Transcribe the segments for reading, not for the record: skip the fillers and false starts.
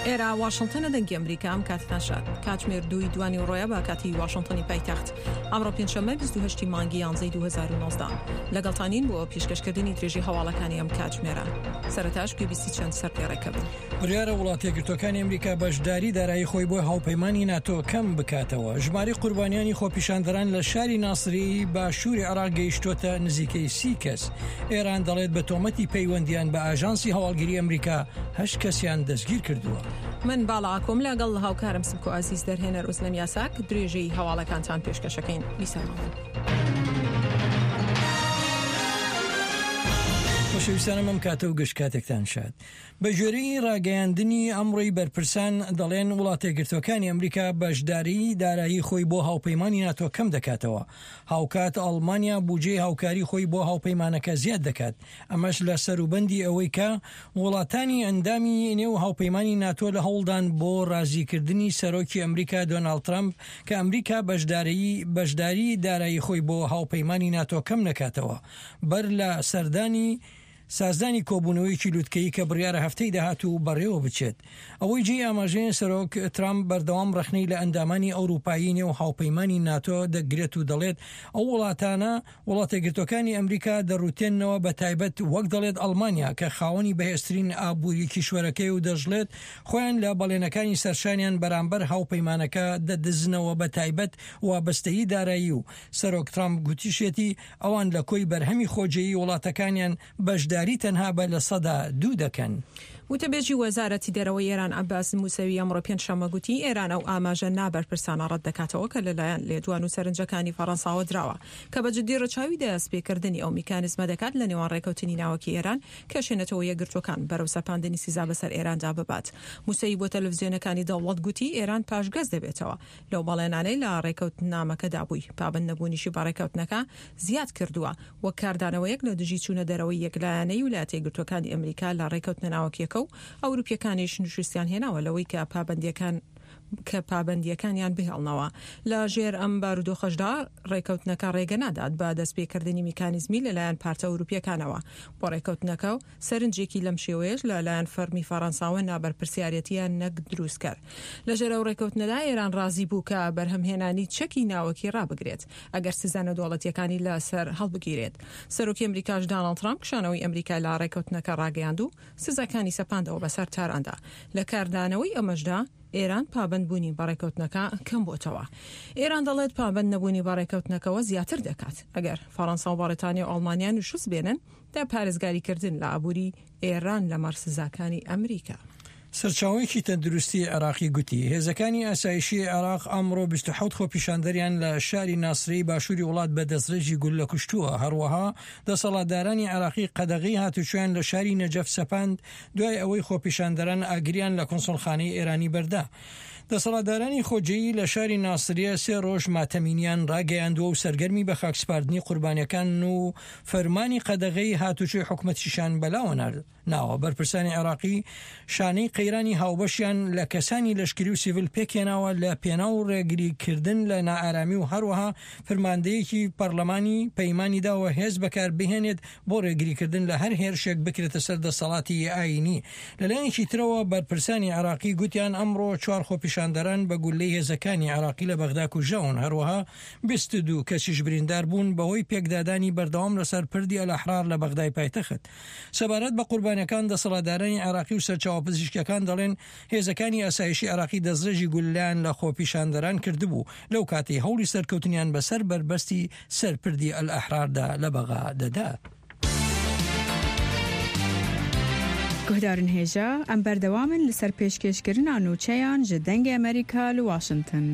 ئێرە واشنتنە دەنگی ئەمریکا ئەم کاتتان شاد کاتژمێر دووی دوانی ڕۆیە بە کاتی واشنتنی پایتەخت ئەمڕۆ پێنجشەممە 28 مانگی یانزەی 2019 لەگەڵتانین بۆ پیشکەشکردنی درێژی هەواڵەکانی ئەم کاتژمێرە سەرەتاش گوێبیستی چەند سەرپێڕێکە بن. بڕیارە وڵاتەیەکگرتووەکانی ئەمریکا بەشداری دارایی خۆی بۆ هاوپەیمانی ناتۆ کەم بکاتەوە. ژمارەی قوربانیانی خۆپیشاندەران لە شاری ناسریەی باشووری عێراق گەیشتۆتە نزیکەی سی کەس. ئێران دەڵێت بە تۆمەتی پەیوەندیان بە ئاژانسی هەواڵگری ئەمریکا هەشت کەسیان دەستگیر کردووە. من باڵا ئاکۆم لەگەڵ هاوکارم سمکۆ ئازیز دەرهێنەر ئوزلەم یاساک درێژەی هەواڵەکانتان پێشکەشەکەین. بیسەرمان بن. خۆشەویستانم ئەم کاتە و گشت کاتێکتان شاد. بە گوێرەی ڕاگەیاندنی ئەمڕۆی بەرپرسان دەڵێن وڵاتەیەکگرتووەکانی ئەمریکا بەشداریی دارایی خۆی بۆ هاوپەیمانی ناتۆ کەم دەکاتەوە، هاوکات ئەڵمانیا بوجەی هاوکاری خۆی بۆ هاوپەیمانەکە زیاد دەکات، ئەمەش لە سەروبەندی ئەوەی کە وڵاتانی ئەندامی نێو هاوپەیمانی ناتۆ لە هەوڵدان بۆ ڕازیکردنی سەرۆکی ئەمریکا دۆناڵد ترەمپ کە ئەمریکا بەشداریی دارایی خۆی بۆ هاوپەیمانی ناتۆ کەم نەکاتەوە بەر لە سەردانی سازدانی کۆبوونەوەیەکی لوتکەیی کە بڕیارە هەفتەی داهاتوو بەڕێوە بچێت. ئەوەی جێی ئاماژەیە سەرۆک ترامپ بەردەوام ڕەخنەی لە ئەندامانی ئەوروپایی نێو هاوپەیمانی ناتۆ دەگرێت و دەڵێت ئەو وڵاتانە وڵاتەیەکگرتووەکانی ئەمریکا دەڕوتێننەوە بە تایبەت وەک دەڵێت ئەڵمانیا کە خاوەنی بەهێزترین ئابووری کیشوەرەکەی و دەشڵێت خۆیان لە بەڵێنەکانی سەرشانیان بەرامبەر هاوپەیمانەکە دەدزنەوە بە تایبەت وابەستەیی دارایی و سەرۆک ترامپ گوتیشێتی ئەوان لە کۆی بەرهەمی خۆجێیی وڵاتەکانیان بەشداری تەنها بە 2% دەکەن. وتەبێژی وەزارەتی دەرەوەی ئێران عەباس موسەوی ئەمڕۆ پێنجشەممە گوتی، ئێران ئەو ئاماژە نابەرپرسانە ڕەتدەکاتەوە کە لەلایەن لێدوان و سەرنجەکانی فەڕەنساوە دراوە کە بە جددی ڕەچاوی دەستپێکردنی ئەو میکانیزمە دەکات لە نێوان ڕێکەوتنی ناوەکی ئێران کێشەی نەتەوە یەکگرتووەکان بەرەو سەپاندنی سزا بەسەر ئێراندا ببات. موسەوی بۆ تەلەفزیۆنەکانی دەوڵەت گوتی، ئێران پاشگەز دەبێتەوە لەو بەڵێنانەی لە ڕێکەوتنامەکەدا بووی، پابەند نەبوونیشی بە ڕێکەوتنەکە زیاد کردووە، وەک کاردانەوەیەک لە دژی چوونە دەرەوەی یەکلایەنەی ولایەتە یەکگرتووەکانی ئەمریکا لە ڕێکەوتنە ناوەکییەکە و ئەوروپییەکانیش نوشوستیان هێناوە لەوەی کە پابەندییەکان کە پابەندییەکانیان بهێڵنەوە. لە ژێر ئەم بارودۆخەشدا ڕێکەوتنەکە ڕێگە نادات بە دەستپێکردنی میکانیزمی لەلایەن پارتە ئەوروپییەکانەوە بۆ ڕێکەوتنەکە و سەرنجێکی لەم شێوەیەش لە لایەن فەرمی فەڕەنساوە نابەرپرسیارەتییە نەک دروستکەر. لە ژێر ئەو ڕێکەوتنەدا ئێران ڕازی بوو کە بەرهەمهێنانی چەکی ناوەکی ڕابگرێت ئەگەر سزا نێودەوڵەتییەکانی لە سەر هەڵبگیرێت. سەرۆکی ئەمریکاش داناڵد ترامپ کشانەوەی ئەمریکای لە ڕێکەوتنەکە ڕاگەیاند و سزاکانی سەپاندەوە بەسەر تاراندا. لە کاردانەوەی ئەمەشدا ئێران پابەند بوونی بە ڕێکەوتنەکە کەم بۆتەوە. ئێران دەڵێت پابەند نەبوونی بە ڕێکەوتنەکەوە زیاتر دەکات ئەگەر فەڕەنسا و بەڕیتانیا و ئەڵمانیا نوشوز بێنن لە پارێزگاریکردن لە ئابووری ئێران لەمەڕ سزاکانی ئەمریکا. سەرچاوەیەکی تەندروستی عێراقی گوتی، هێزەکانی ئاسایشی عێراق ئەمڕۆ 27 خۆپیشاندەریان لە شاری ناسرەی باشووری وڵات بە دەستڕێژی گوللە کوشتووە، هەروەها دەسەڵاتدارانی عێراقی قەدەغەی هاتوچۆیان لە شاری نەجەف سەپاند دوای ئەوەی خۆپیشاندەران ئاگریان لە کونسوڵخانەی ئێرانی بەردا. دەسەڵاتدارانی خۆجێیی لە شاری ناسریە سێ ڕۆژ ماتەمینیان ڕاگەیاندووە و سەرگەرمی بەخاکسپاردنی قوربانیەکانن و فەرمانی قەدەغەی هاتوچۆی حکومەتیشیان بەلاوە ناوە. بەرپرسانی عێراقی شانەی قەیرانی هاوبەشیان لە کەسانی لەشکری و سیڤل پێکهێناوە لە پێناو ڕێگریکردن لە نائارامی و هەروەها فرماندەیەکی پەڕلەمانی پەیمانی داوە هێز بەکاربهێنێت بۆ ڕێگریکردن لە هەر هێرشێک بکرێتە سەر دەسەڵاتی ئایینی. لەلایەکی ترەوە بەرپرسانی عێراقی گوتیان ئەمڕۆ چوار خۆپیشاندەران بە گوللەی هێزەکانی عێراقی لە بەغدا کوژراون، هەروەها 22 کەسیش بریندار بوون بەهۆی پێکدادانی بەردەوام لەسەر پردی ئەلئەحرار لە بەغدای پایتەخت. سەبارەت بە قوربانیەکان دەسەڵاتدارانی عێراقی و سەرچاوە پزیشکیەکان دەڵێن هێزەکانی ئاسایشی عێراقی دەستڕێژی گوللەیان لە خۆپیشاندەران کردبوو لەو کاتەی هەوڵی سەرکەوتنیان بەسەر بەربەستی سەر پردی ئەلئەحراردا لە بەغا دەدا. Guhdarên hêja, em berdewam in li ser pêşkêşkirina nûçeyan ji Dengê Amerîka li Washington.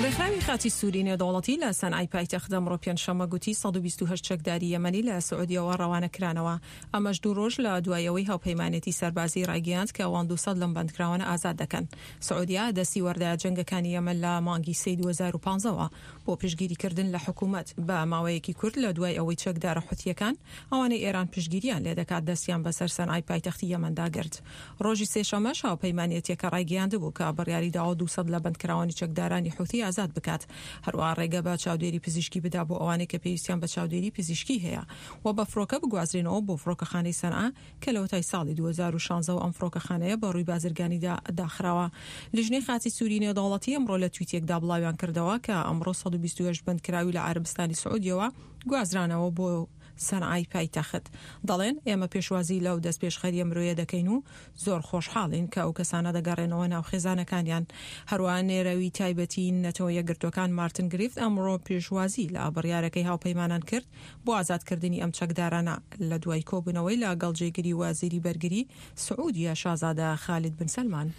ڕێکخراوی خاچی سووری نێودەوڵەتی لە سەنعای پایتەخت ئەمڕۆ پێنجشەممە گوتی 128 چەکداری یەمەنی لە سعودیەوە ڕەوانە کرانەوە. ئەمەش دوو ڕۆژ لە دوای ئەوەی هاوپەیمانێتی سەربازی ڕایگەیاند کە ئەوان 200 لەم بەندکراوانە ئازاد دەکەن. سعودیە دەستی وەردایە جەنگەکانی یەمەن لە مانگی سێی 2015 وە بۆ پشتگیریکردن لە حکومەت بە ماوەیەکی کورت لە دوای ئەوەی چەکدارە حوتییەکان ئەوانەی ئێران پشتگیریان لێدەکات دەستیان بەسەر سەنعای پایتەختی یەمەندا گرت. ڕۆژی سێشەممەش هاوپەیمانێتییەکە ڕایگەیاندبوو کە بڕیاری داوە 200 لە بەندکراوانی چەکدارانی حوتی ئازاد بکات. بکات، هەروەها ڕێگە بە چاودێری پزیشکی بدا بۆ ئەوانەی کە پێویستیان بە چاودێری پزیشکی هەیە و بە فڕۆکە بگوازرێنەوە بۆ فڕۆکەخانەی سەنعا کە لەوەتای ساڵی 2016 وە ئەم فڕۆکەخانەیە بە ڕووی بازرگانیدا داخراوە. لیژنەی خاچی سووری نێودەوڵەتی ئەمڕۆ لە تویتێکدا بڵاویان کردەوە کە ئەمڕۆ 128 بەندکراوی لە عەرەبستانی سعودیەوە گوازرانەوە بۆ سەنعای پایتەخت. دەڵێن، ئێمە پێشوازی لەو دەستپێشخەرییە مرۆیە دەکەین و زۆر خۆشحاڵین کە ئەو کەسانە دەگەڕێنەوە ناو خێزانەکانیان. هەروەها نێرەوی تایبەتی نەتەوە یەکگرتووەکان مارتن گریفت ئەمڕۆ پێشوازی لە بڕیارەکەی هاوپەیمانان کرد بۆ ئازادکردنی ئەم چەکدارانە لە دوای کۆبوونەوەی لە گەڵ جێگری وەزیری بەرگری سعودیە شازادە خالید بن سەلمان.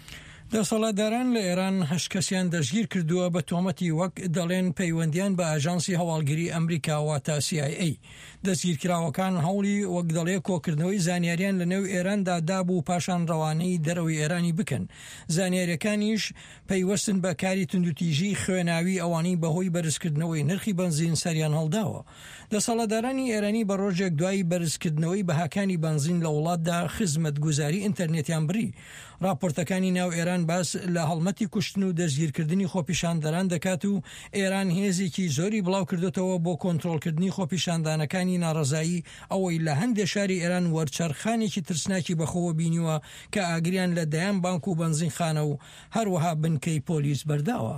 دەسەڵاتداران لە ئێران هەشت کەسیان دەستگیر کردووە بە تۆمەتی وەک دەڵێن پەیوەندیان بە ئاژانسی هەواڵگری ئەمریکا واتە سی ئای ئەی. دەستگیرکراوەکان هەوڵی وەک دەڵێ کۆکردنەوەی زانیاریان لە نێو ئێراندا دابوو پاشان ڕەوانەی دەرەوەی ئێرانی بکەن. زانیاریەکانیش پەیوەستن بە کاری توندوتیژی خوێناوی ئەوانەی بەهۆی بەرزکردنەوەی نرخی بەنزین سەریان هەڵداوە. دەسەڵاتدارانی ئێرانی بە ڕۆژێک دوای بەرزکردنەوەی بەهاکانی بەنزین لە وڵاتدا خزمەتگوزاری ئینتەرنێتیان بڕی. ڕاپۆرتەکانی ناو ئێران باس لە هەڵمەتی کوشتن و دەستگیرکردنی خۆپیشاندەران دەکات و ئێران هێزێکی زۆری بڵاوکردۆتەوە بۆ کۆنترۆڵکردنی خۆپیشاندانەکانی ناڕەزایی ئەوەی لە هەندێ شاری ئێران وەرچەرخانێکی ترسناکی بەخۆوە بینیوە کە ئاگریان لە دەیان بانک و بەنزینخانە و هەروەها بنکەی پۆلیس بەرداوە.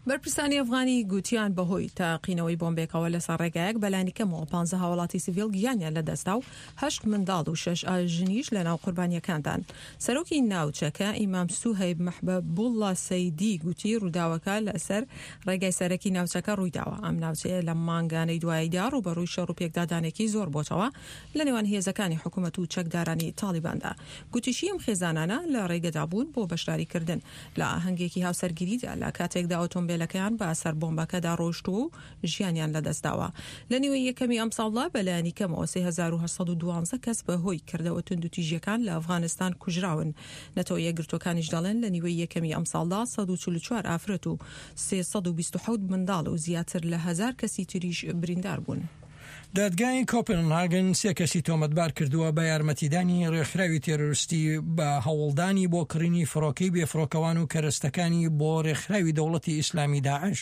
بەرپرسانی ئەفغانی گوتیان بەهۆی تەقینەوەی بۆمبێکەوە لەسەر ڕێگایەک بەلانیکەمەوە پانزە هاوڵاتی سڤیل گیانیان لەدەستدا و هەشت منداڵ و شەش ژنیش لەناو قوربانییەکاندان. سەرۆکی ناوچەکە ئیمام سوهەیب مەحبەبوڵڵا سەیدی گوتی ڕووداوەکە لەسەر ڕێگای سەرەکی ناوچەکە ڕوویداوە. ئەم ناوچەیە لەم مانگانەی دواییدا ڕووبەڕووی شەڕ و پێکدادانێکی زۆر بۆتەوە لەنێوان هێزەکانی حکومەت و چەکدارانی تاڵیباندا. گوتیشی ئەم خێزانانە لە ڕێگەدا بوون بۆ بەشداریکردن لە ئاهەنگێکی هاوسەرگیریدا لە کاتێکدا ئۆتۆمبێلەکەیان بە سەر بۆمبەکەدا ڕۆیشتووە و ژیانیان لەدەستداوە. لە نیوەی یەکەمی ئەمساڵدا بەلایەنی کەمەوە 3812 کەس بە هۆی کردەوە توندوتیژییەکان لە ئەفغانستان کوژراون. نەتەوە یەکگرتووەکانیش دەڵێن لە نیوەی یەکەمی ئەمساڵدا 144 ئافرەت و 327 منداڵ و زیاتر لە هەزار کەسی تریش بریندار بوون. دادگای کۆپنهاگن سێ کەسی تۆمەتبار کردووە بە یارمەتیدانی ڕێکخراوی تێرۆریستی بە هەوڵدانی بۆ کڕینی فڕۆکەی بێفڕۆکەوان و کەرەستەکانی بۆ ڕێکخراوی دەوڵەتی ئیسلامی داعش.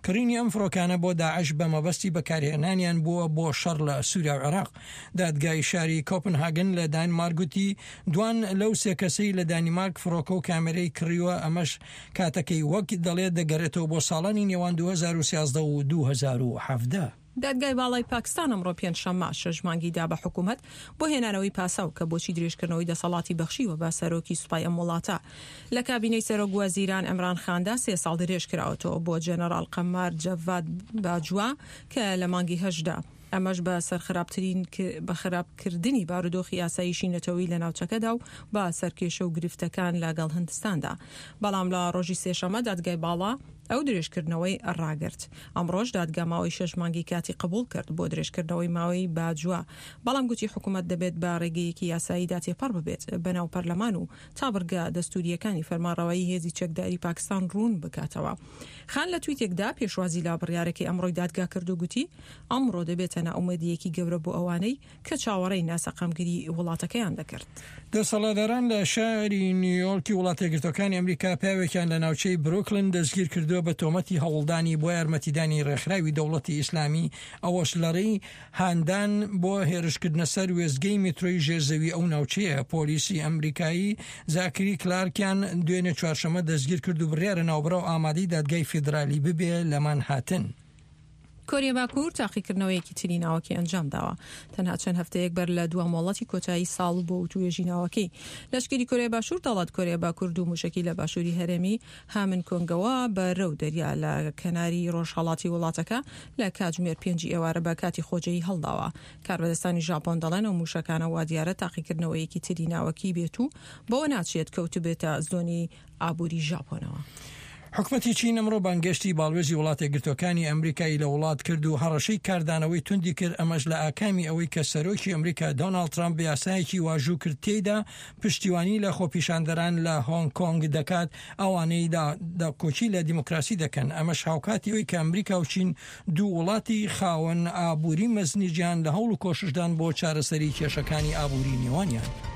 کڕینی ئەم فڕۆکانە بۆ داعش بە مەبەستی بەکارهێنانیان بووە بۆ شەڕ لە سووریا و عێراق. دادگای شاری کۆپنهاگن لە دانمارک گوتی دوان لەو سێ کەسەی لە دانیمارک فڕۆکە و کامێرەی کڕیوە ئەمەش کاتەکەی وەک دەڵێت دەگەرێتەوە بۆ ساڵانی نێوان 2013 و 2017. دادگای باڵای پاکستان ئەمڕۆ پێنجشەممە شەش مانگی دا بە حکومەت بۆ هێنانەوەی پاساو کە بۆچی درێژکردنەوەی دەسەڵاتی بەخشیوە بە سەرۆکی سوپای ئەم وڵاتە لە کابینەی سەرۆک وەزیران عمران خاندا سێ ساڵ درێژکراوەتەوە بۆ جەنەڕاڵ قەمار جەڤاد باجوا کە لە مانگی هەشتدا ئەمەش بە سەرخراپترین بە خراپکردنی بارودۆخی ئاسایشی نەتەوەیی لە ناوچەکەدا و بە سەرکێشە و گرفتەکان لەگەڵ هندستاندا بەڵام لە ڕۆژی سێشەمە دادگای باڵا ئەو درێژکردنەوەی ڕاگرت. ئەمڕۆش دادگا ماوەی شەش مانگی کاتی قبوڵ کرد بۆ درێژکردنەوەی ماوەی باجوا، بەڵام گوتی حکومەت دەبێت بە ڕێگەیەکی یاساییدا تێپەڕ ببێت بەناو پەرلەمان و تا بڕگە دەستوورییەکانی فەرمانڕەوایی هێزی چەکداری پاکستان ڕوون بکاتەوە. خان لە تویتێکدا پێشوازی لە بڕیارەکەی ئەمڕۆی دادگا کرد و گوتی ئەمڕۆ دەبێتە نائومێدییەکی گەورە بۆ ئەوانەی کە چاوەڕێی ناسەقامگیری وڵاتەکەیان دەکرد. دەسەڵاتداران لە شاری نیویۆرکی وڵاتەیەکگرتووەکانی ئەمریکا پیاوێکیان لە ناوچەی بروکلن دەستگیرکردووە بە تۆمەتی هەوڵدانی بۆ یارمەتیدانی ڕێکخراوی دەوڵەتی ئیسلامی ئەوەش لەڕێی هاندان بۆ هێرشکردنە سەر وێستگەی میترۆی ژێرزەوی ئەو ناوچەیە. پۆلیسی ئەمریکایی زاکری کلارکیان دوێنێ چوارشەممە دەستگیرکرد و بڕیارە ناوبراو ئامادەی دادگای فیدرالی ببێ لە مانهاتن. کۆریای باکوور تاقیکردنەوەیەکی تری ناوەکی ئەنجامداوە، تەنها چەند هەفتەیەک بەر لە دوا مۆڵەتی کۆتایی ساڵ بۆ وتووێژی ناوەکی. لەشکری کۆریای باشوور دەڵێت کۆریای باکوور دوو موشەکی لە باشووری هەرێمی هامن کۆنگەوە بەرەو دەریا لە کەناری ڕۆژهەڵاتی وڵاتەکە لە کاتژمێر پێنجی ئێوارە بە کاتی خۆجێی هەڵداوە. کاربەدەستانی ژاپۆن دەڵێن ئەو موشەکانە وادیارە تاقیکردنەوەیەکی تری ناوەکی بێت و بەوە ناچێت کەوتبێتە زۆنی ئابووری ژاپۆنەوە. حکومەتی چین ئەمڕۆ بانگێشتی باڵوێزی وڵاتەیەکگرتووەکانی ئەمریکای لە وڵات کرد و هەڕەشەی کاردانەوەی توندی کرد، ئەمەش لە ئاکامی ئەوەی کە سەرۆکی ئەمریکا دۆناڵد ترامپ یاسایەکی واژوو کرد تێیدا پشتیوانی لە خۆپیشاندەران لە هۆنگ کۆنگ دەکات ئەوانەی داکۆکی لە دیموکراسی دەکەن، ئەمەش هاوکاتی ئەوەی کە ئەمریکا و چین دوو وڵاتی خاوەن ئابووری مەزنی جیهان لە هەوڵ و کۆششدان بۆ چارەسەری کێشەکانی ئابووری نێوانیان.